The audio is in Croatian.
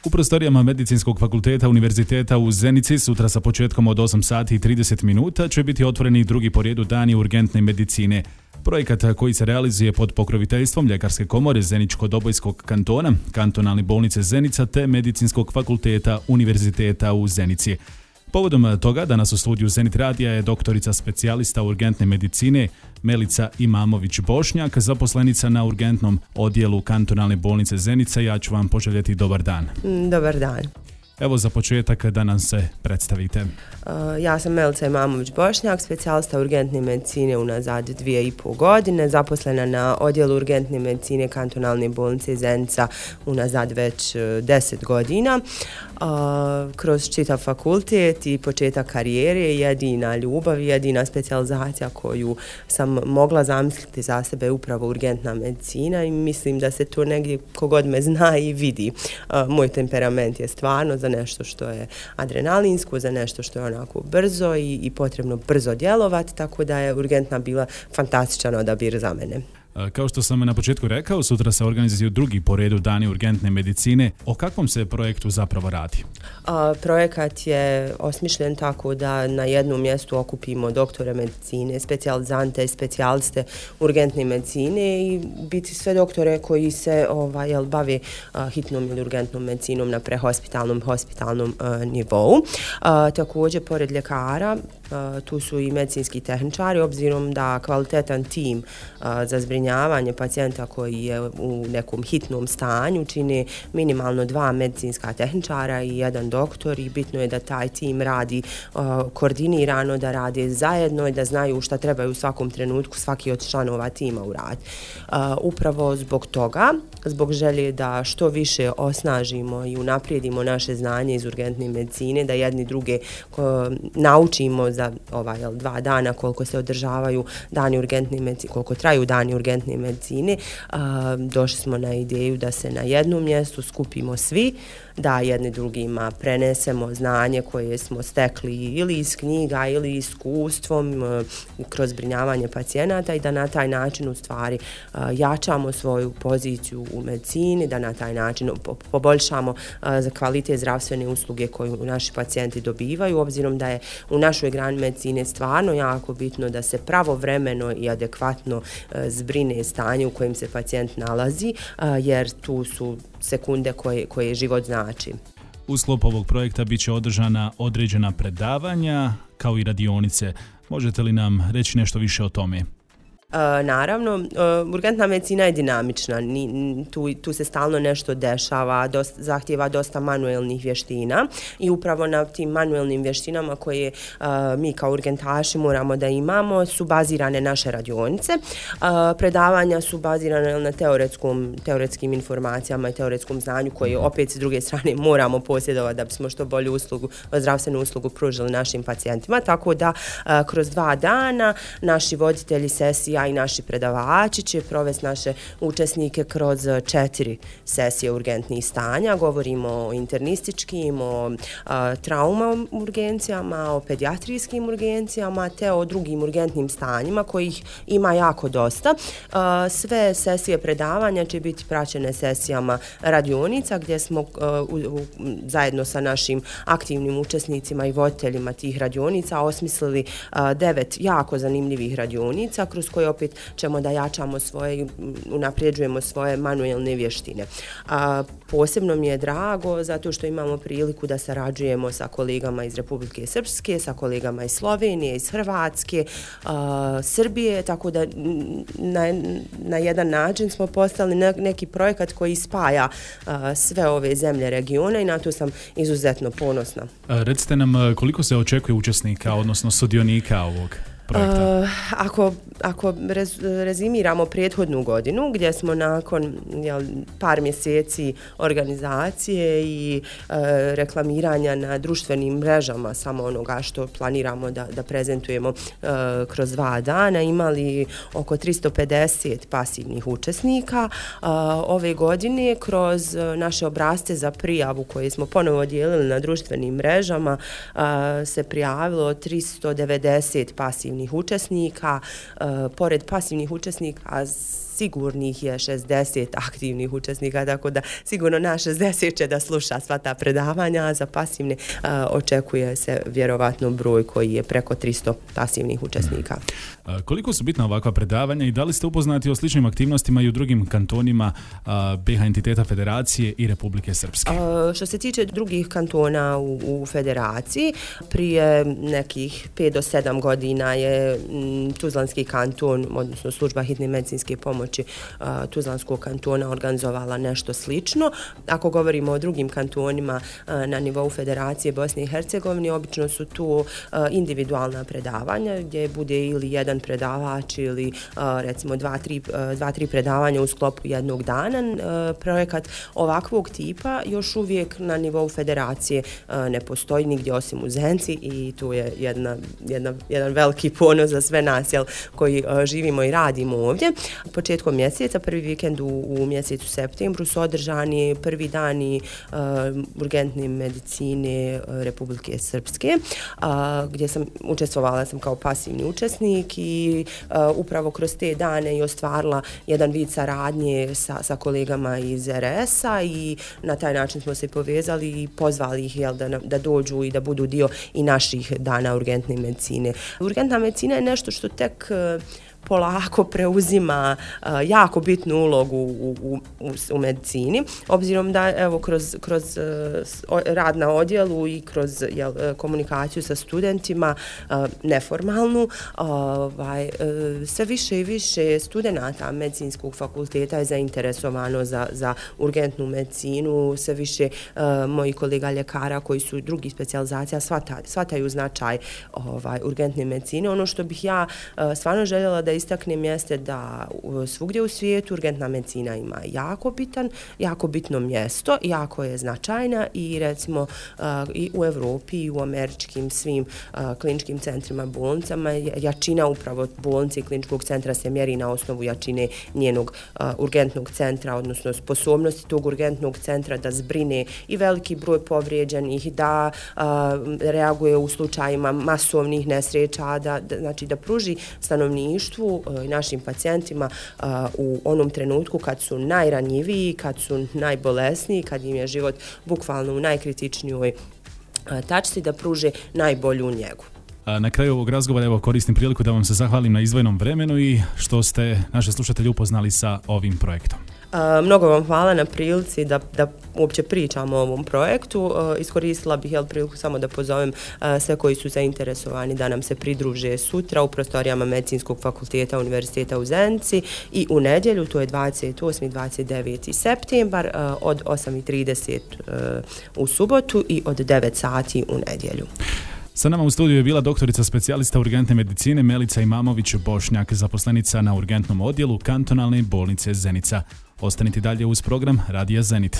U prostorijama Medicinskog fakulteta Univerziteta u Zenici sutra sa početkom od 8 sati i 30 minuta će biti otvoreni drugi po redu dani urgentne medicine. Projekat koji se realizuje pod pokroviteljstvom Ljekarske komore Zeničko-Dobojskog kantona, Kantonalne bolnice Zenica te Medicinskog fakulteta Univerziteta u Zenici. Povodom toga danas u studiju Zenit radija je doktorica specijalista urgentne medicine Melica Imamović-Bošnjak, zaposlenica na urgentnom odjelu Kantonalne bolnice Zenica. Ja ću vam poželjeti dobar dan. Dobar dan. Evo za početak da nam se predstavite. Ja sam Melica Imamović-Bošnjak, specijalista urgentne medicine unazad 2,5 godine, zaposlena na odjelu urgentne medicine Kantonalne bolnice Zenica unazad već 10 godina. Kroz čitav fakultet i početak karijere jedina ljubav i jedina specijalizacija koju sam mogla zamisliti za sebe je upravo urgentna medicina i mislim da se to negdje kogod me zna i vidi. Moj temperament je stvarno za nešto što je adrenalinsko, za nešto što je onako brzo i potrebno brzo djelovati, tako da je urgentna bila fantastičan odabir za mene. Kao što sam na početku rekao, sutra se organizuju drugi po redu dani urgentne medicine. O kakvom se projektu zapravo radi? Projekat je osmišljen tako da na jednom mjestu okupimo doktore medicine, specijalizante i specijaliste urgentne medicine i biti sve doktore koji se bave hitnom ili urgentnom medicinom na prehospitalnom, hospitalnom nivou. Također, pored ljekara, tu su i medicinski tehničari, obzirom da kvalitetan tim za zbrinjavanje pacijenta koji je u nekom hitnom stanju čine minimalno 2 medicinska tehničara i 1 doktor i bitno je da taj tim radi koordinirano, da rade zajedno i da znaju šta trebaju u svakom trenutku svaki od članova tima uraditi. Upravo zbog toga, zbog želje da što više osnažimo i unaprijedimo naše znanje iz urgentne medicine, da jedni druge naučimo za 2 dana koliko se održavaju dani urgentne medicine, koliko traju dani urgentne medicine, došli smo na ideju da se na jednom mjestu skupimo svi, da jedni drugima prenesemo znanje koje smo stekli ili iz knjiga ili iskustvom kroz zbrinjavanje pacijenata i da na taj način u stvari jačamo svoju poziciju u medicini, da na taj način poboljšamo za kvalitet zdravstvene usluge koju naši pacijenti dobivaju, obzirom da je u našoj grani medicine stvarno jako bitno da se pravovremeno i adekvatno zbrine stanje u kojem se pacijent nalazi, jer tu su sekunde koje život znači. U sklopu ovog projekta bit će održana određena predavanja kao i radionice. Možete li nam reći nešto više o tome? Naravno, urgentna medicina je dinamična, tu se stalno nešto dešava, zahtjeva dosta manuelnih vještina i upravo na tim manuelnim vještinama koje mi kao urgentaši moramo da imamo su bazirane naše radionice. Predavanja su bazirane na teoretskim informacijama i teoretskom znanju koje opet s druge strane moramo posjedovati da bismo što bolju zdravstvenu uslugu pružili našim pacijentima, tako da kroz 2 dana naši voditelji sesija i naši predavači će provesti naše učesnike kroz 4 sesije urgentnih stanja. Govorimo o internističkim, o trauma urgencijama, o pedijatrijskim urgencijama te o drugim urgentnim stanjima kojih ima jako dosta. Sve sesije predavanja će biti praćene sesijama radionica gdje smo zajedno sa našim aktivnim učesnicima i voditeljima tih radionica osmislili 9 jako zanimljivih radionica kroz koje opet ćemo da jačamo unapređujemo svoje manuelne vještine. Posebno mi je drago zato što imamo priliku da sarađujemo sa kolegama iz Republike Srpske, sa kolegama iz Slovenije, iz Hrvatske, Srbije, tako da na jedan način smo postali neki projekat koji spaja sve ove zemlje regiona i na to sam izuzetno ponosna. Recite nam koliko se očekuje učesnika, odnosno sudionika ovog projekta? Ako rezimiramo prethodnu godinu gdje smo nakon par mjeseci organizacije i reklamiranja na društvenim mrežama samo onoga što planiramo da prezentujemo kroz 2 dana imali oko 350 pasivnih učesnika. Ove godine kroz naše obrasce za prijavu koje smo ponovo dijelili na društvenim mrežama se prijavilo 390 pasivnih učesnika. Pored pasivnih učesnika sigurnih je 60 aktivnih učesnika, tako da sigurno na 60 će da sluša sva ta predavanja, a za pasivne očekuje se vjerovatno broj koji je preko 300 pasivnih učesnika. Koliko su bitna ovakva predavanja i da li ste upoznati o sličnim aktivnostima i u drugim kantonima BiH entiteta Federacije i Republike Srpske? Što se tiče drugih kantona u Federaciji, prije nekih 5 do 7 godina je Tuzlanski kanton, odnosno služba hitne medicinske pomoći Tuzlanskog kantona organizovala nešto slično. Ako govorimo o drugim kantonima na nivou Federacije Bosne i Hercegovine, obično su tu individualna predavanja gdje bude ili jedan predavač ili recimo 2-3 predavanja u sklopu jednog dana. Projekat ovakvog tipa još uvijek na nivou Federacije ne postoji nigdje osim u Zenici i tu je jedan veliki ponos za sve nas koji živimo i radimo ovdje. Početkom mjeseca, prvi vikend u mjesecu septembru su održani prvi dani urgentne medicine Republike Srpske, gdje sam učestvovala kao pasivni učesnik i upravo kroz te dane i ostvarila jedan vid saradnje sa kolegama iz RS-a i na taj način smo se povezali i pozvali ih da dođu i da budu dio i naših dana urgentne medicine. Urgentna medicina je nešto što tek polako preuzima jako bitnu ulogu u medicini, obzirom da evo kroz rad na odjelu i kroz komunikaciju sa studentima neformalnu, sve više i više studenata medicinskog fakulteta je zainteresovano za urgentnu medicinu, sve više mojih kolega ljekara koji su drugih specijalizacija shvataju značaj urgentne medicine. Ono što bih ja stvarno željela da istaknem jeste da svugdje u svijetu urgentna medicina ima jako bitno mjesto, jako je značajna i recimo i u Europi i u američkim svim kliničkim centrima, bolnicama, jačina upravo bolnice i kliničkog centra se mjeri na osnovu jačine njenog urgentnog centra, odnosno sposobnosti tog urgentnog centra da zbrine i veliki broj povrijeđenih, da reaguje u slučajima masovnih nesreća, da pruži stanovništvu i našim pacijentima u onom trenutku kad su najranjiviji, kad su najbolesniji, kad im je život bukvalno u najkritičnijoj tačci, da pruže najbolju njegu. Na kraju ovog razgovora koristim priliku da vam se zahvalim na izdvojenom vremenu i što ste naše slušatelje upoznali sa ovim projektom. Mnogo vam hvala na prilici da uopće pričamo o ovom projektu. Iskoristila bih priliku samo da pozovem sve koji su zainteresovani da nam se pridruže sutra u prostorijama Medicinskog fakulteta Univerziteta u Zenici i u nedjelju, to je 28. i 29. septembar od 8:30 u subotu i od 9 sati u nedjelju. Sa nama u studiju je bila doktorica specijalista urgentne medicine Melica Imamović-Bošnjak, zaposlenica na urgentnom odjelu kantonalne bolnice Zenica. Ostanite dalje uz program Radija Zenit.